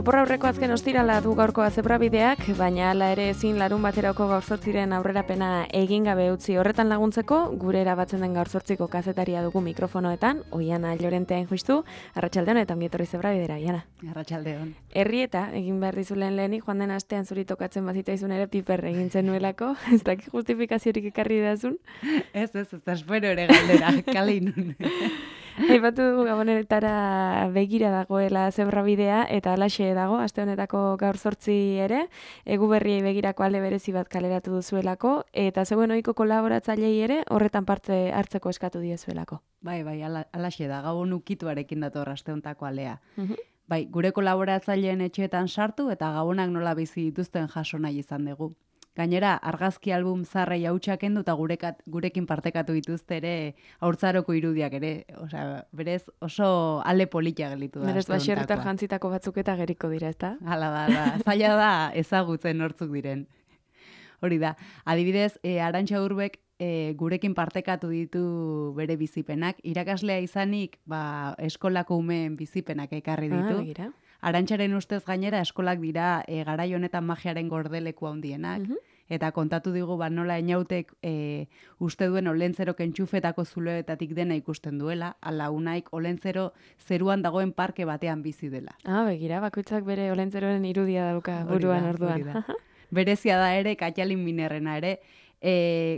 Opor aurreko azken ostirala du gaurko zebrabideak, baina hala ere ezin larun baterako gaur zortziren aurrerapena egin gabe utzi. Horretan laguntzeko, gure erabatzen den gaur zortziko kazetaria dugu mikrofonoetan, Oiana Llorentean justu, arratsaldeon eta ongi etorri zebrabidera, Oiana. Arratsaldeon. Herrieta, egin behar dizulen lehenik, joan den astean zuri tokatzen bazitaizun ere piper egin zenuelako, ez dakik justifikaziorik ekarri dazun? Ez, espero ere galdera, kaleinun. Aipatu dugu gabonetara begira dagoela zebrabidea eta halaxe dago, aste honetako gaur zortzi ere, egu berriei begirako alde berezi bat kaleratu duzuelako, eta zeuen ohiko kolaboratzailei ere horretan parte hartzeko eskatu diezuelako. Bai, halaxe da, gabon ukituarekin dator aste honetako alea. Bai, gure kolaboratzaileen etxeetan sartu eta gabonak nola bizi dituzten jaso nahi izan dugu. Gainera, argazki album zarrei hautsak kendu eta gurekin partekatu dituzte ere haurtzaroko irudiak ere. Osea, berez oso ale politia gelitu da. Berez baserritar jantzitako batzuk eta geriko dira, ezta? Hala da, zaila da ezagutzen nortzuk diren. Hori da, adibidez, Arantxa Urbek gurekin partekatu ditu bere bizipenak. Irakaslea izanik, eskolako umeen bizipenak ekarri ditu. Begira. Arantxaren ustez gainera eskolak dira garai honetan magiaren gordeleku handienak. Eta kontatu digu nola enautek uste duen olentzerok entxufetako zuloetatik dena ikusten duela, ala unaik olentzero zeruan dagoen parke batean bizi dela. Begira, bakoitzak bere olentzeroren irudia dauka buruan orduan. Berezia da ere, Katalin Minerrena ere,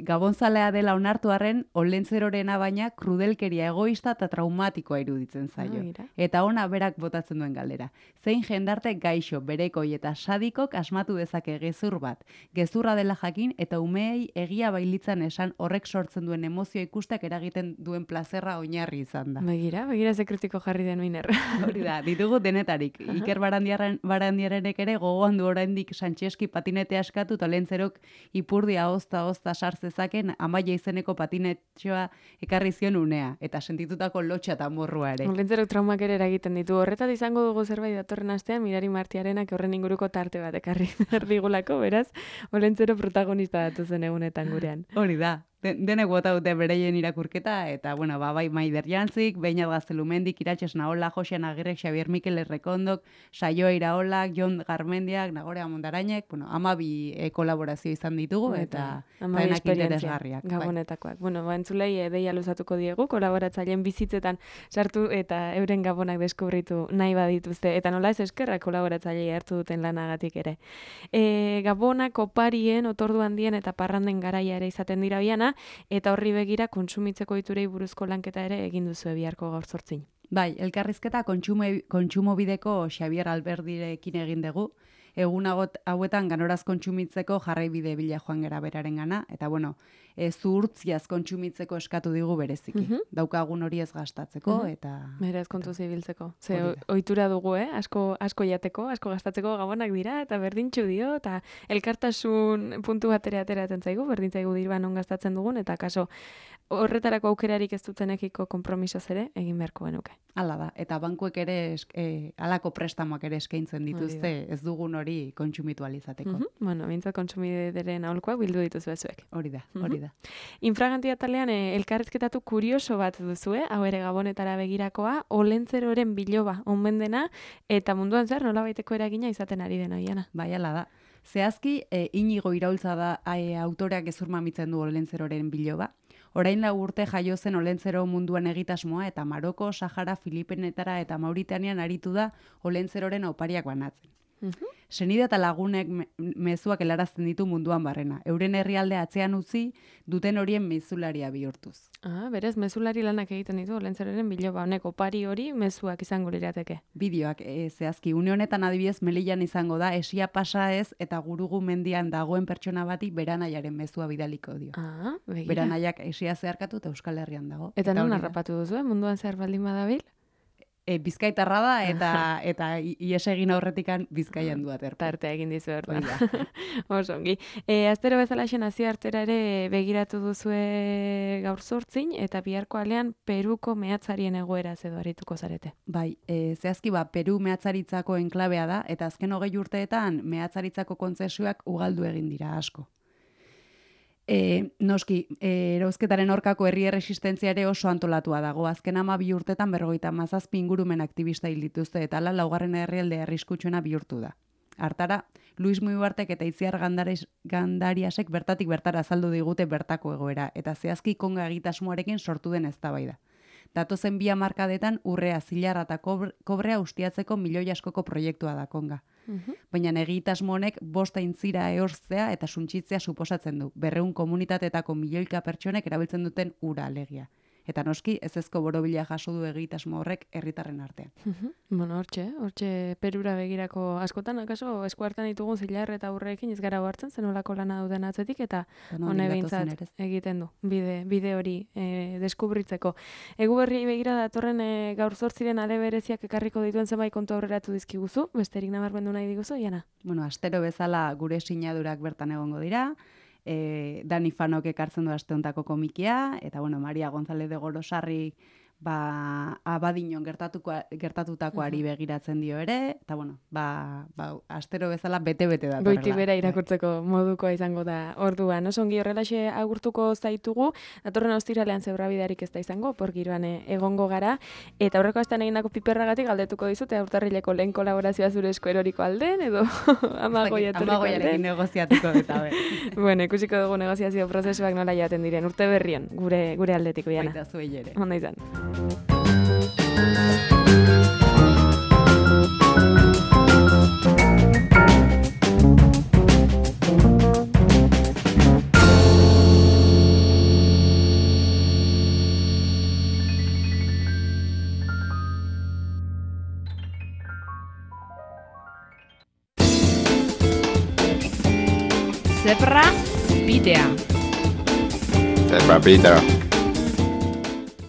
gabonzalea dela onartu arren, olentzerorena baina krudelkeria egoista eta traumatikoa iruditzen zaio. Eta ona berak botatzen duen galdera. Zein jendarte gaixo, berekoi eta sadikok asmatu dezake gezur bat. Gezurra dela jakin eta umeei egia bailitzan esan horrek sortzen duen emozio ikustak eragiten duen plazerra oinarri izan da. Begira ze kritiko jarri den Miner. Hori da, ditugu denetarik. Iker Barandiarenek ere gogoan du oraindik Santxeski patinetea eskatu eta olentzerok ipurdia ozta sartzezaken Amaia izeneko patinetxoa ekarri zion unea, eta sentitutako lotxa eta morrua ere. Olentzerok traumak ere eragiten ditu. Horretat izango dugu zerbait datorren astean, Mirari Martiarenak horren inguruko tarte bat ekarri digulako, beraz, olentzero protagonista datu zen egunetan gurean. Hori da. Denek bota dute bereien irakurketa, eta, bai, Maider Jantzik, Beñat Gaztelumendik, Iratxez Naola, Josean Agirrek, Xabier Mikel Errekondok, Saioa Iraolak, Jon Garmendiak, Nagore Amondarainek, 12 kolaborazio izan ditugu, eta denak interesgarriak. Gabonetakoak. Entzulei deia luzatuko diegu, kolaboratzaileen bizitzetan sartu eta euren gabonak deskubritu nahi badituzte, eta nola ez eskerrak kolaboratzailei hartu duten lanagatik ere. Gabonak oparien, otordu handien eta parranden garaia ere izaten dira biana, eta horri begira kontsumitzeko iturei buruzko lanketa ere egin duzu biharko gaur zortzin. Bai, elkarrizketa kontsumobideko Xabier Alberdirekin egin dugu. Egun hauetan ganoraz kontsumitzeko jarraibide bila joan gera berarengana, eta zuhurtziaz kontsumitzeko eskatu digu bereziki. Daukagun hori ez gastatzeko, eta... Beraz kontu zibiltzeko. Ze ohitura dugu, asko jateko, asko gastatzeko gabonak dira, eta berdintxu dio, eta elkartasun puntu batera ateratzen zaigu, berdin zaigu dirban on gastatzen dugun, eta kaso horretarako aukerarik ez dutenekiko konpromisoz ere, egin beharko genuke. Hala da, eta bankuek ere halako prestamoak ere eskaintzen dituzte, ez dugun hori kontsumitu alizateko. Mintzat kontsumideren aholkoak bildu dituzu ezuek. Hori da. Infraganti atalean elkarrizketatu kurioso bat duzue, hau ere gabonetara begirakoa, olentzeroren biloba onben dena, eta munduan zer nolabaiteko eragina izaten ari dena, Oiana. Bai, hala da. Zehazki, Inigo Iraultza da autoreak gezur mamitzen du olentzeroren biloba. Orain 4 urte jaio zen olentzero munduan egitasmoa eta Maroko, Sahara, Filipenetara eta Mauritanian aritu da olentzeroren opariak banatzen. Senide eta lagunek mezuak helarazten ditu munduan barrena. Euren herrialdea atzean utzi, duten horien mezularia bihurtuz. Berez, mezulari lanak egiten ditu olentzeroren biloba honek opari hori mezuak izango lirateke. Bideoak, zehazki, une honetan adibidez Melillan izango da, esia pasa ez eta Gurugu mendian dagoen pertsona bati beranaiaren mezua bidaliko dio. Begira. Beranaiak esia zeharkatu eta Euskal Herrian dago. Eta non harrapatu duzu, munduan zehar baldin badabil? Bizkaitarra da, eta ies egin aurretikan Bizkaian du aterpo. Tartea egin dizu orduan. Oso ongi. Astero bezala nazioartera ere begiratu duzue gaur zortzin, eta biharko alean Peruko mehatzarien egoera edo arituko zarete. Bai, zehazki Peru mehatzaritzako enklabea da, eta azken 20 urteetan mehatzaritzako kontzesioak ugaldu egin dira asko. Noski, erauzketaren aurkako herri erresistentzia ere oso antolatua dago. Azken 12 urtetan 57 ingurumen aktivista hil dituzte eta hala laugarren herrialde arriskutsuena bihurtu da. Hartara, Luis Muibartek eta Itziar Gandariasek bertatik bertara azaldu digute bertako egoera, eta zehazki konga egitasmoarekin sortu den eztabaida. Datozen 2 hamarkadetan urrea, zilarra eta kobrea ustiatzeko milioi askoko proiektua da konga. Baina egitasmo honek 5 aintzira ehortzea eta suntsitzea suposatzen du, 200 komunitateetako milioika pertsonek erabiltzen duten ura alegia. Eta noski, ezezko borobila jaso du egitasmo horrek herritarren artean. Bueno, hortxe Perura begirako askotan, akaso eskuartan ditugun zilar eta urreekin ez gara hartzen, zenolako lana duten atzetik, eta hone behintzat egiten du, bide hori deskubritzeko. Egu berri begira datorren gaur 8 ale bereziak ekarriko dituen zenbait kontu aurreratu dizkiguzu, besterik nabarmendu nahi diguzu, Iana? Bueno, astero bezala gure sinadurak bertan egongo dira, Dani Fanok ekartzen du aste hontako komikia, eta bueno, Maria González de Gorosarri abadinon gertatutakoari begiratzen dio ere, eta bueno, astero bezala bete-bete da. Goiti bera irakurtzeko modukoa izango da orduan. Oso ongi horrelaxe agurtuko zaitugu, datorren ostiralean zebrabidarik ez da izango, porgiroan egongo gara, eta aurreko astean egindako piperragatik galdetuko dizute urtarrileko lehen kolaborazioa zure esku eroriko alden, edo amagoiarekin negoziatuko eta Bueno, ikusiko dugu negoziazio prozesuak nola jaten diren, urte berrion, gure aldetik, Iana. Baita zuei ere. Onda izan. Zebra bidea. Zebra bidea.